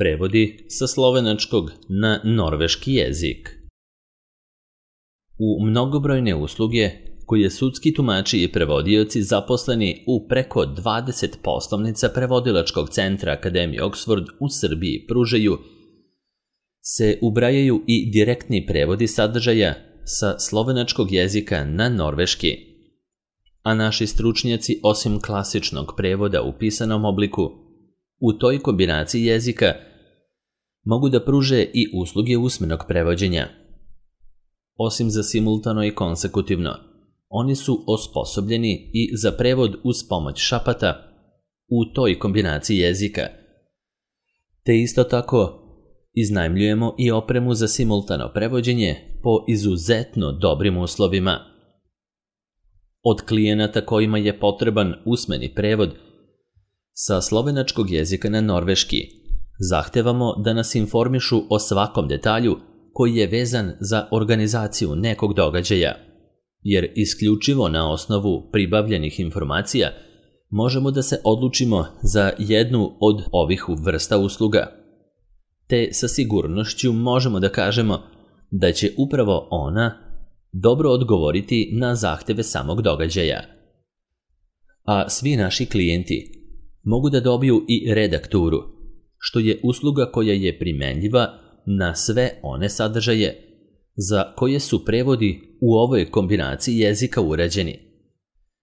Prevodi sa slovenačkog na norveški jezik. U mnogobrojne usluge koje sudski tumači i prevodioci zaposleni u preko 20 poslovnica prevodilačkog centra Akademije Oxford u Srbiji pružaju, se ubrajaju i direktni prevodi sadržaja sa slovenačkog jezika na norveški. A naši stručnjaci, osim klasičnog prevoda u pisanom obliku, u toj kombinaciji jezika mogu da pruže i usluge usmenog prevođenja. Osim za simultano i konsekutivno, oni su osposobljeni i za prevod uz pomoć šapata u toj kombinaciji jezika. Te isto tako iznajmljujemo i opremu za simultano prevođenje po izuzetno dobrim uslovima. Od klijenata kojima je potreban usmeni prevod sa slovenačkog jezika na norveški zahtevamo da nas informišu o svakom detalju koji je vezan za organizaciju nekog događaja, jer isključivo na osnovu pribavljenih informacija možemo da se odlučimo za jednu od ovih vrsta usluga. Te sa sigurnošću možemo da kažemo da će upravo ona dobro odgovoriti na zahteve samog događaja. A svi naši klijenti mogu da dobiju i redakturu, što je usluga koja je primenljiva na sve one sadržaje za koje su prevodi u ovoj kombinaciji jezika urađeni.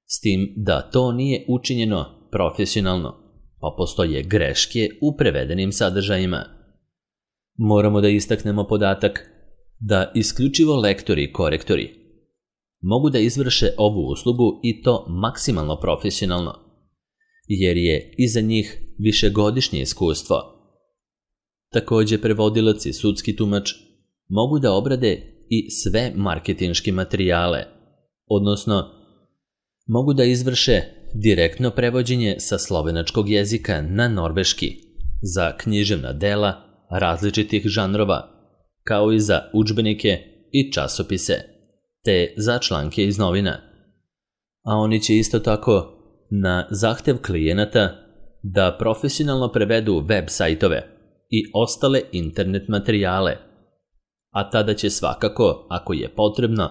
S tim da to nije učinjeno profesionalno, pa postoje greške u prevedenim sadržajima. Moramo da istaknemo podatak da isključivo lektori i korektori mogu da izvrše ovu uslugu i to maksimalno profesionalno, jer je iza njih višegodišnje iskustvo. Takođe, prevodilac i sudski tumač mogu da obrade i sve marketinške materijale, odnosno mogu da izvrše direktno prevođenje sa slovenačkog jezika na norveški za književna dela različitih žanrova, kao i za udžbenike i časopise, te za članke iz novina. A oni će isto tako na zahtev klijenata da profesionalno prevedu web sajtove i ostale internet materijale, a tada će svakako, ako je potrebno,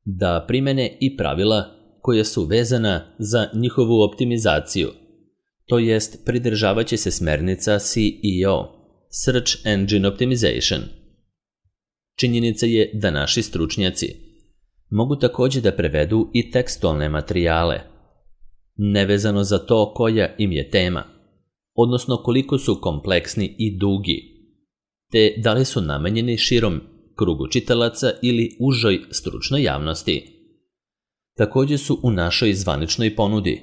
da primene i pravila koja su vezana za njihovu optimizaciju, to jest pridržavaće se smernica SEO, Search Engine Optimization. Činjenica je da naši stručnjaci mogu takođe da prevedu i tekstualne materijale, nevezano za to koja im je tema, odnosno koliko su kompleksni i dugi, te da li su namenjeni širom krugu čitalaca ili užoj stručnoj javnosti. Takođe su u našoj zvaničnoj ponudi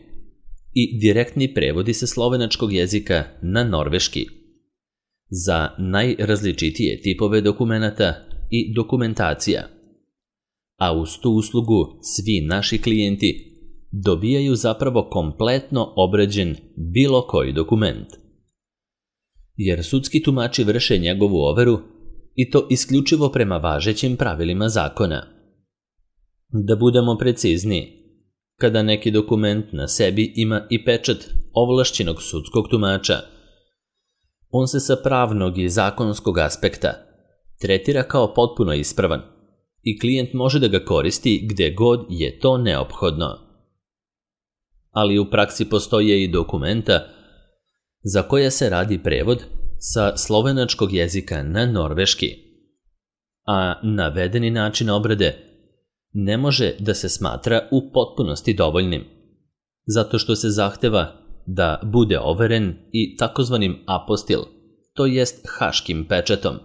i direktni prevodi sa slovenačkog jezika na norveški za najrazličitije tipove dokumenata i dokumentacija, a uz tu uslugu svi naši klijenti dobijaju zapravo kompletno obrađen bilo koji dokument. Jer sudski tumači vrše njegovu overu i to isključivo prema važećim pravilima zakona. Da budemo precizniji, kada neki dokument na sebi ima i pečat ovlašćenog sudskog tumača, on se sa pravnog i zakonskog aspekta tretira kao potpuno ispravan i klijent može da ga koristi gde god je to neophodno. Ali u praksi postoje i dokumenta za koja se radi prevod sa slovenačkog jezika na norveški, a navedeni način obrade ne može da se smatra u potpunosti dovoljnim, zato što se zahteva da bude overen i takozvanim apostil, to jest haškim pečatom.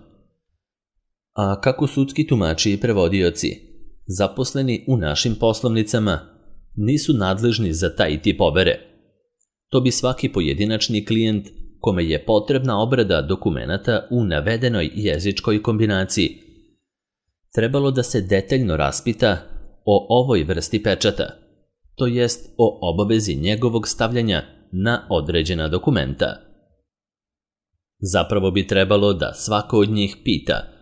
A kako sudski tumači i prevodioci, zaposleni u našim poslovnicama, nisu nadležni za taj tip overe. To bi svaki pojedinačni klijent kome je potrebna obrada dokumenata u navedenoj jezičkoj kombinaciji trebalo da se detaljno raspita o ovoj vrsti pečata, to jest o obavezi njegovog stavljanja na određena dokumenta. Zapravo bi trebalo da svako od njih pita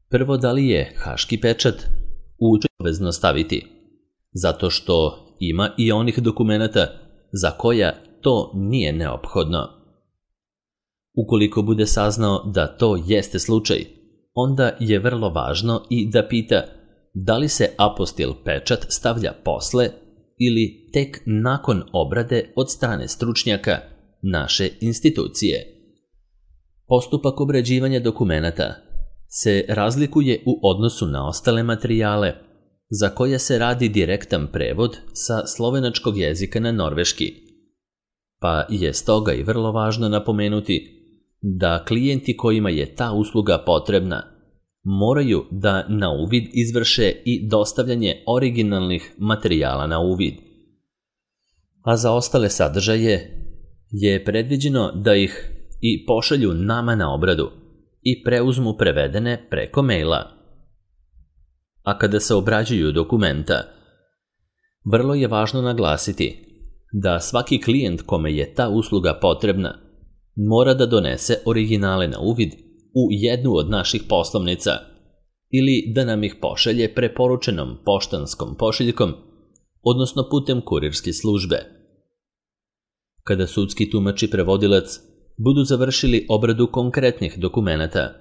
prvo da li je haški pečat obavezno staviti, zato što ima i onih dokumenata za koja to nije neophodno. Ukoliko bude saznao da to jeste slučaj, onda je vrlo važno i da pita da li se apostil pečat stavlja posle ili tek nakon obrade od strane stručnjaka naše institucije. Postupak obrađivanja dokumenata se razlikuje u odnosu na ostale materijale za koje se radi direktan prevod sa slovenačkog jezika na norveški, pa je stoga i vrlo važno napomenuti da klijenti kojima je ta usluga potrebna moraju da na uvid izvrše i dostavljanje originalnih materijala na uvid. A za ostale sadržaje je predviđeno da ih i pošalju nama na obradu i preuzmu prevedene preko maila. A kada se obrađuju dokumenta, vrlo je važno naglasiti da svaki klijent kome je ta usluga potrebna mora da donese originale na uvid u jednu od naših poslovnica ili da nam ih pošalje preporučenom poštanskom pošiljkom, odnosno putem kurirske službe. Kada sudski tumač i prevodilac budu završili obradu konkretnih dokumenata,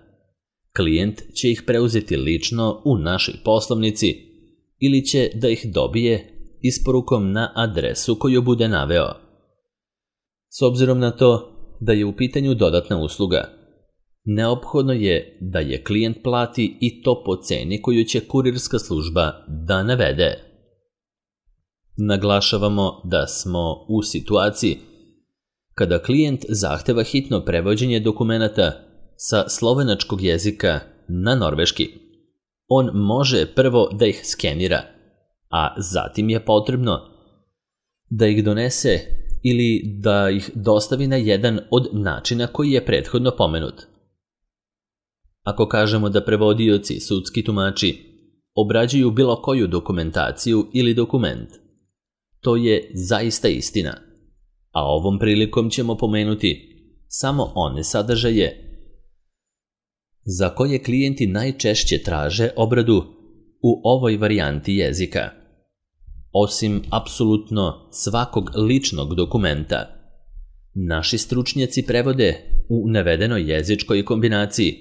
klijent će ih preuzeti lično u našoj poslovnici ili će da ih dobije isporukom na adresu koju bude naveo. S obzirom na to da je u pitanju dodatna usluga, neophodno je da je klijent plati i to po ceni koju će kurirska služba da navede. Naglašavamo da smo u situaciji kada klijent zahteva hitno prevođenje dokumenata sa slovenačkog jezika na norveški. On može prvo da ih skenira, a zatim je potrebno da ih donese ili da ih dostavi na jedan od načina koji je prethodno pomenut. Ako kažemo da prevodioci, sudski tumači, obrađuju bilo koju dokumentaciju ili dokument, to je zaista istina, a ovom prilikom ćemo pomenuti samo one sadržaje za koje klijenti najčešće traže obradu u ovoj varijanti jezika. Osim apsolutno svakog ličnog dokumenta, naši stručnjaci prevode u navedenoj jezičkoj kombinaciji,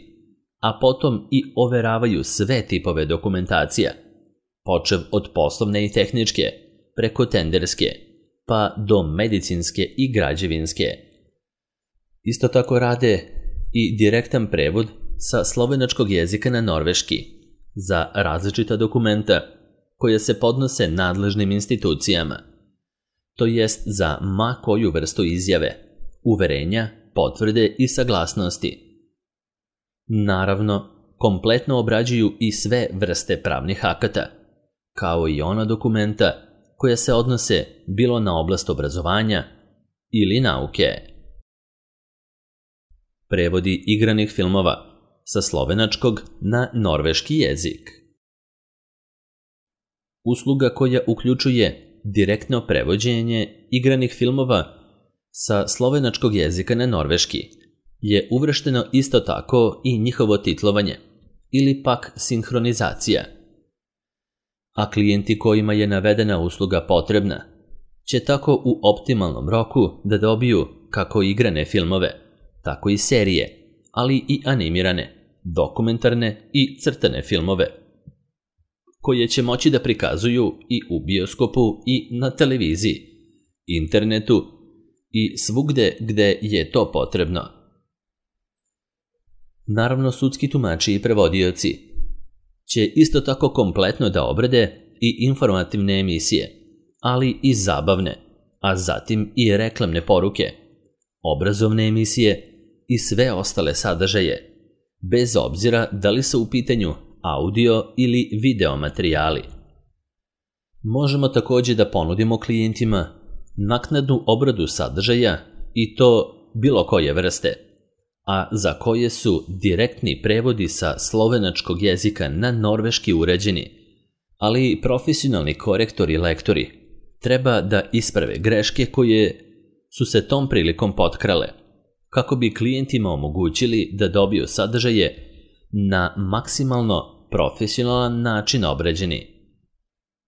a potom i overavaju sve tipove dokumentacija, počev od poslovne i tehničke, preko tenderske, pa do medicinske i građevinske. Isto tako rade i direktan prevod sa slovenačkog jezika na norveški za različita dokumenta koje se podnose nadležnim institucijama, to jest za ma koju vrstu izjave, uverenja, potvrde i saglasnosti. Naravno, kompletno obrađuju i sve vrste pravnih akata, kao i ona dokumenta koja se odnose bilo na oblast obrazovanja ili nauke. Prevodi igranih filmova sa slovenačkog na norveški jezik. Usluga koja uključuje direktno prevođenje igranih filmova sa slovenačkog jezika na norveški je uvršteno isto tako i njihovo titlovanje ili pak sinhronizacija. A klijenti kojima je navedena usluga potrebna će tako u optimalnom roku da dobiju kako igrane filmove, tako i serije, ali i animirane, dokumentarne i crtane filmove, koje će moći da prikazuju i u bioskopu i na televiziji, internetu i svugde gde je to potrebno. Naravno, sudski tumači i prevodioci će isto tako kompletno da obrade i informativne emisije, ali i zabavne, a zatim i reklamne poruke, obrazovne emisije i sve ostale sadržaje, bez obzira da li su u pitanju audio ili video materijali. Možemo također da ponudimo klijentima naknadnu obradu sadržaja i to bilo koje vrste, a za koje su direktni prevodi sa slovenačkog jezika na norveški uređeni, ali i profesionalni korektori i lektori treba da isprave greške koje su se tom prilikom potkrale, kako bi klijentima omogućili da dobiju sadržaje na maksimalno profesionalan način obrađeni.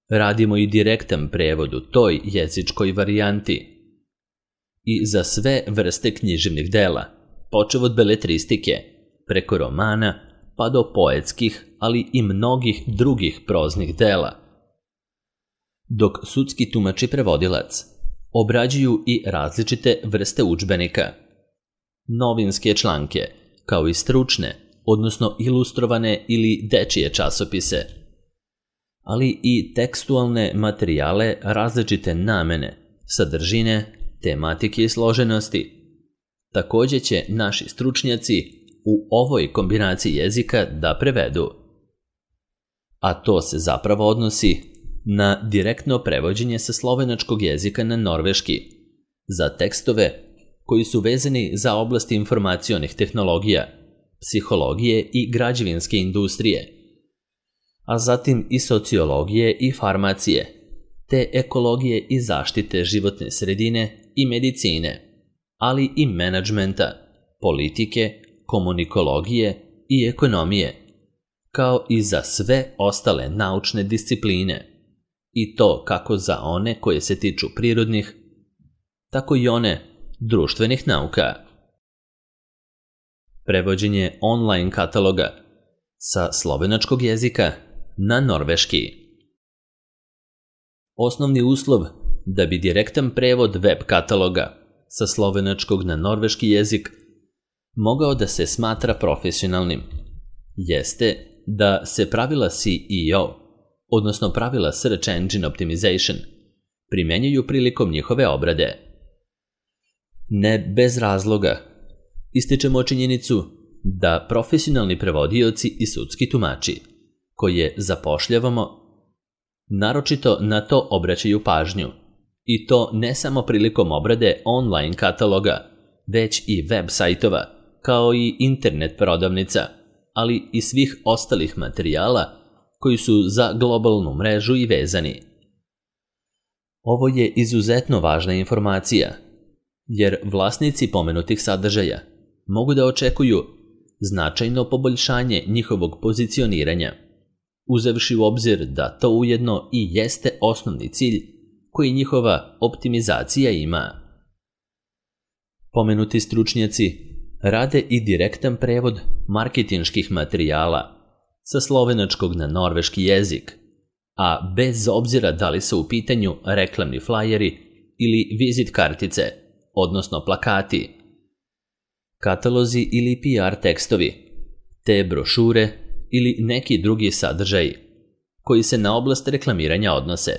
Radimo i direktan prevod u toj jezičkoj varijanti i za sve vrste književnih dela, počev od beletristike, preko romana, pa do poetskih, ali i mnogih drugih proznih dela. Dok sudski tumač i prevodilac obrađuju i različite vrste udžbenika, novinske članke, kao i stručne, odnosno ilustrovane ili dečije časopise, ali i tekstualne materijale različite namene, sadržine, tematike i složenosti. Također će naši stručnjaci u ovoj kombinaciji jezika da prevedu. A to se zapravo odnosi na direktno prevođenje sa slovenačkog jezika na norveški, za tekstove koji su vezani za oblasti informacionih tehnologija, psihologije i građevinske industrije, a zatim i sociologije i farmacije, te ekologije i zaštite životne sredine i medicine, ali i menadžmenta, politike, komunikologije i ekonomije, kao i za sve ostale naučne discipline, i to kako za one koje se tiču prirodnih, tako i one društvenih nauka. Prevođenje online kataloga sa slovenačkog jezika na norveški. Osnovni uslov da bi direktan prevod web kataloga sa slovenačkog na norveški jezik mogao da se smatra profesionalnim jeste da se pravila SEO, odnosno pravila Search Engine Optimization, primenjuju prilikom njihove obrade. Ne bez razloga ističemo činjenicu da profesionalni prevodioci i sudski tumači, koje zapošljavamo, naročito na to obraćaju pažnju, i to ne samo prilikom obrade online kataloga, već i web sajtova, kao i internet prodavnica, ali i svih ostalih materijala koji su za globalnu mrežu i vezani. Ovo je izuzetno važna informacija, jer vlasnici pomenutih sadržaja mogu da očekuju značajno poboljšanje njihovog pozicioniranja, uzevši u obzir da to ujedno i jeste osnovni cilj koji njihova optimizacija ima. Pomenuti stručnjaci rade i direktan prevod marketinških materijala sa slovenačkog na norveški jezik, a bez obzira da li su u pitanju reklamni flajeri ili vizit kartice, odnosno plakati, katalozi ili PR tekstovi, te brošure ili neki drugi sadržaji koji se na oblast reklamiranja odnose.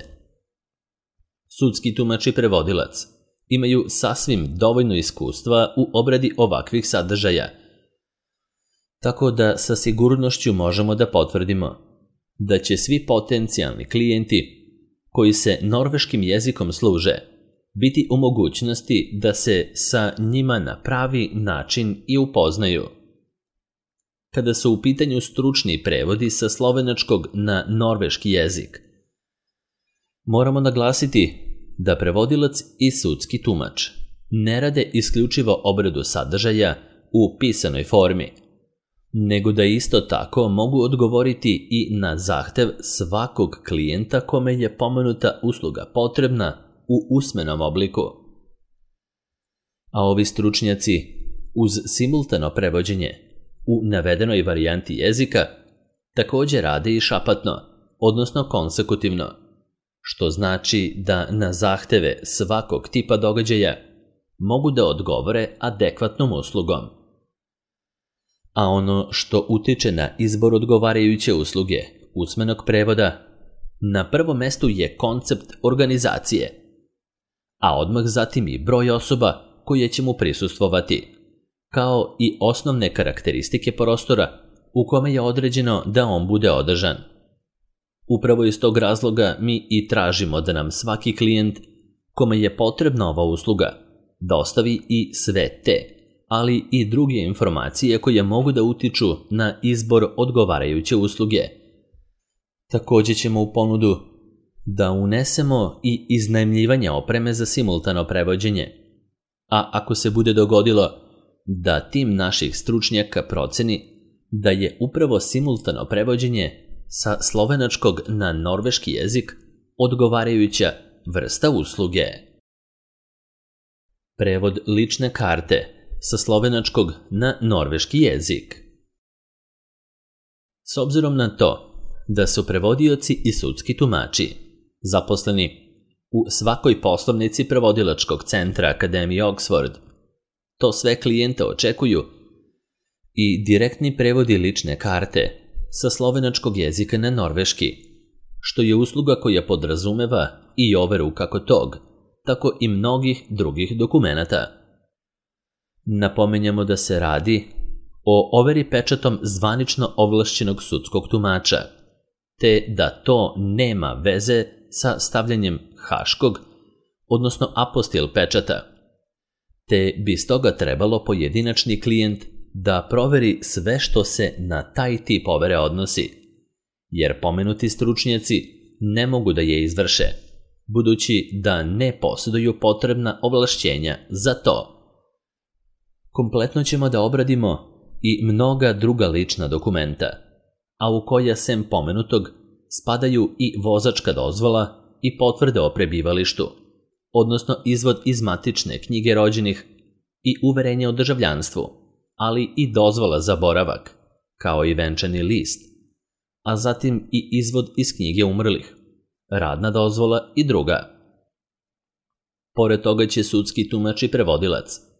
Sudski tumač i prevodilac imaju sasvim dovoljno iskustva u obradi ovakvih sadržaja, tako da sa sigurnošću možemo da potvrdimo da će svi potencijalni klijenti koji se norveškim jezikom služe biti u mogućnosti da se sa njima na pravi način i upoznaju. Kada su u pitanju stručni prevodi sa slovenačkog na norveški jezik, moramo naglasiti da prevodilac i sudski tumač ne rade isključivo obradu sadržaja u pisanoj formi, nego da isto tako mogu odgovoriti i na zahtev svakog klijenta kome je pomenuta usluga potrebna u usmenom obliku. A ovi stručnjaci uz simultano prevođenje u navedenoj varijanti jezika također rade i šapatno, odnosno konsekutivno, što znači da na zahteve svakog tipa događaja mogu da odgovore adekvatnom uslugom. A ono što utiče na izbor odgovarajuće usluge usmenog prevoda, na prvom mestu je koncept organizacije, a odmah zatim i broj osoba koje će mu prisustvovati, kao i osnovne karakteristike prostora u kome je određeno da on bude održan. Upravo iz tog razloga mi i tražimo da nam svaki klijent kome je potrebna ova usluga dostavi i sve te, ali i druge informacije koje mogu da utiču na izbor odgovarajuće usluge. Također ćemo u ponudu da unesemo i iznajmljivanje opreme za simultano prevođenje, a ako se bude dogodilo da tim naših stručnjaka proceni da je upravo simultano prevođenje sa slovenačkog na norveški jezik odgovarajuća vrsta usluge. Prevod lične karte sa slovenačkog na norveški jezik. S obzirom na to da su prevodioci i sudski tumači zaposleni u svakoj poslovnici prevodilačkog centra Akademije Oxford, to sve klijente očekuju i direktni prevodi lične karte sa slovenačkog jezika na norveški, što je usluga koja podrazumeva i overu kako tog, tako i mnogih drugih dokumenata. Napominjemo da se radi o overi pečatom zvanično ovlašćenog sudskog tumača, te da to nema veze sa stavljanjem haškog, odnosno apostil pečata, te bi stoga trebalo pojedinačni klijent da proveri sve što se na taj tip overe odnosi, jer pomenuti stručnjaci ne mogu da je izvrše, budući da ne posjeduju potrebna ovlašćenja za to. Kompletno ćemo da obradimo i mnoga druga lična dokumenta, a u koja sem pomenutog spadaju i vozačka dozvola i potvrde o prebivalištu, odnosno izvod iz matične knjige rođenih i uverenje o državljanstvu, ali i dozvola za boravak, kao i venčani list, a zatim i izvod iz knjige umrlih, radna dozvola i druga. Pored toga će sudski tumač i prevodilac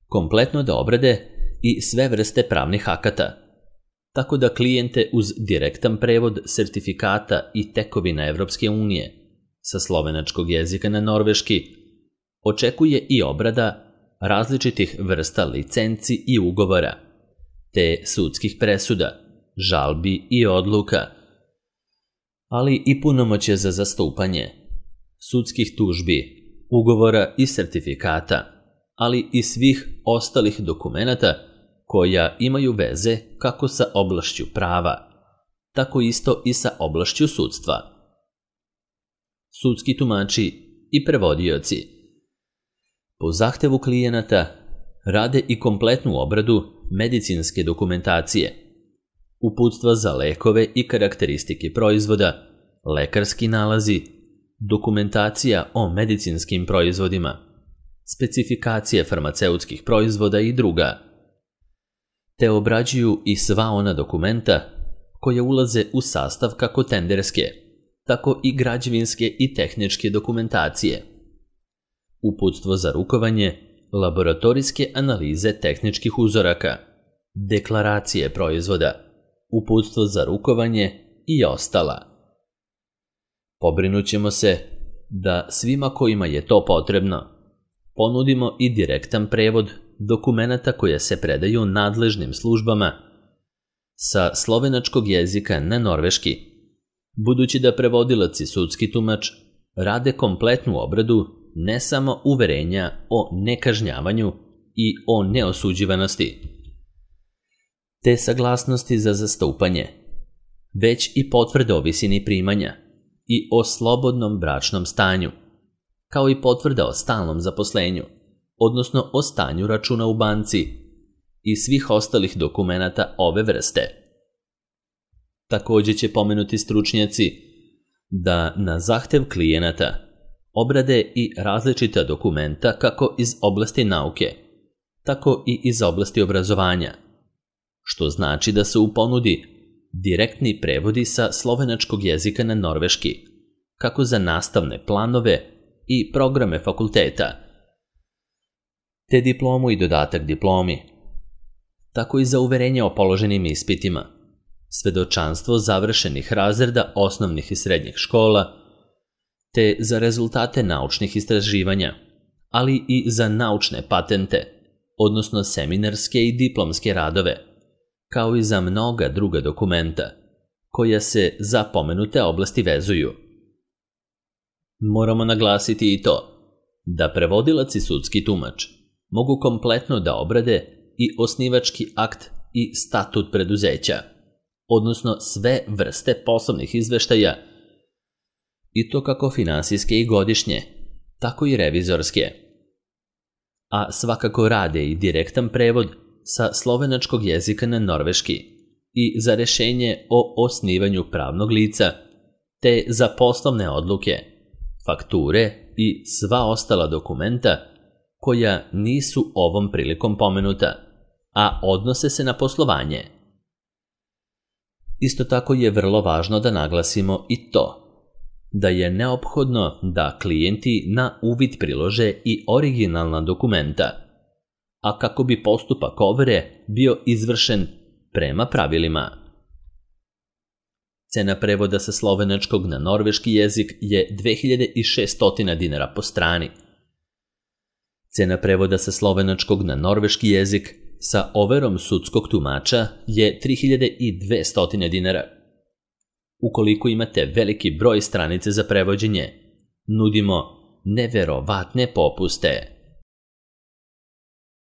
kompletno da obrade i sve vrste pravnih akata, tako da klijente uz direktan prevod sertifikata i tekovina Evropske unije sa slovenačkog jezika na norveški očekuje i obrada različitih vrsta licenci i ugovora, te sudskih presuda, žalbi i odluka, ali i punomoćje za zastupanje, sudskih tužbi, ugovora i sertifikata, ali i svih ostalih dokumenata koja imaju veze kako sa oblašću prava, tako isto i sa oblašću sudstva. Sudski tumači i prevodioci po zahtevu klijenata rade i kompletnu obradu medicinske dokumentacije, uputstva za lekove i karakteristike proizvoda, lekarski nalazi, dokumentacija o medicinskim proizvodima, specifikacije farmaceutskih proizvoda i druga, te obrađuju i sva ona dokumenta koja ulaze u sastav kako tenderske, tako i građevinske i tehničke dokumentacije, uputstvo za rukovanje, laboratorijske analize tehničkih uzoraka, deklaracije proizvoda, uputstvo za rukovanje i ostala. Pobrinut ćemo se da svima kojima je to potrebno ponudimo i direktan prevod dokumenata koje se predaju nadležnim službama sa slovenačkog jezika na norveški, budući da prevodilac i sudski tumač rade kompletnu obradu ne samo uverenja o nekažnjavanju i o neosuđivanosti, te saglasnosti za zastupanje, već i potvrde o visini primanja i o slobodnom bračnom stanju, kao i potvrda o stalnom zaposlenju, odnosno o stanju računa u banci i svih ostalih dokumenata ove vrste. Također će pomenuti stručnjaci da na zahtev klijenata obrade i različita dokumenta kako iz oblasti nauke, tako i iz oblasti obrazovanja, što znači da se u ponudi direktni prevodi sa slovenačkog jezika na norveški, kako za nastavne planove i programe fakulteta, te diplomu i dodatak diplomi, tako i za uverenje o položenim ispitima, svedočanstvo završenih razreda osnovnih i srednjih škola, te za rezultate naučnih istraživanja, ali i za naučne patente, odnosno seminarske i diplomske radove, kao i za mnoga druga dokumenta, koja se za pomenute oblasti vezuju. Moramo naglasiti i to da prevodilac i sudski tumač mogu kompletno da obrade i osnivački akt i statut preduzeća, odnosno sve vrste poslovnih izveštaja, i to kako finansijske i godišnje, tako i revizorske. A svakako rade i direktan prevod sa slovenačkog jezika na norveški i za rešenje o osnivanju pravnog lica, te za poslovne odluke, fakture i sva ostala dokumenta koja nisu ovom prilikom pomenuta, a odnose se na poslovanje. Isto tako je vrlo važno da naglasimo i to da je neophodno da klijenti na uvid prilože i originalna dokumenta, a kako bi postupak overe bio izvršen prema pravilima. Cena prevoda sa slovenačkog na norveški jezik je 2600 dinara po strani. Cena prevoda sa slovenačkog na norveški jezik sa overom sudskog tumača je 3200 dinara. Ukoliko imate veliki broj stranice za prevođenje, nudimo neverovatne popuste.